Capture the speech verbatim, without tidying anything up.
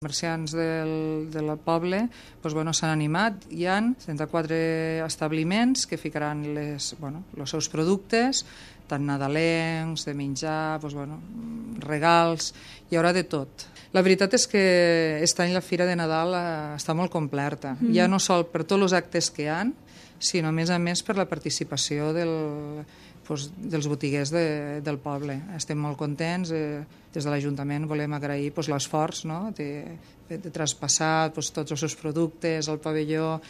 comerciants del, del poble doncs, bueno, s'han animat. Hi ha trenta-quatre establiments que ficaran les, bueno, els seus productes, tant nadalencs, de menjar, doncs, bueno, regals, hi haurà de tot. La veritat és que aquest any la Fira de Nadal eh, està molt completa, mm. ja no sol per tots els actes que hi ha, sinó a més a més per la participació del, doncs, dels botiguers de, del poble. Estem molt contents, eh, des de l'Ajuntament volem agrair doncs, l'esforç, no?, de, de, de traspassar doncs, tots els seus productes al pavelló,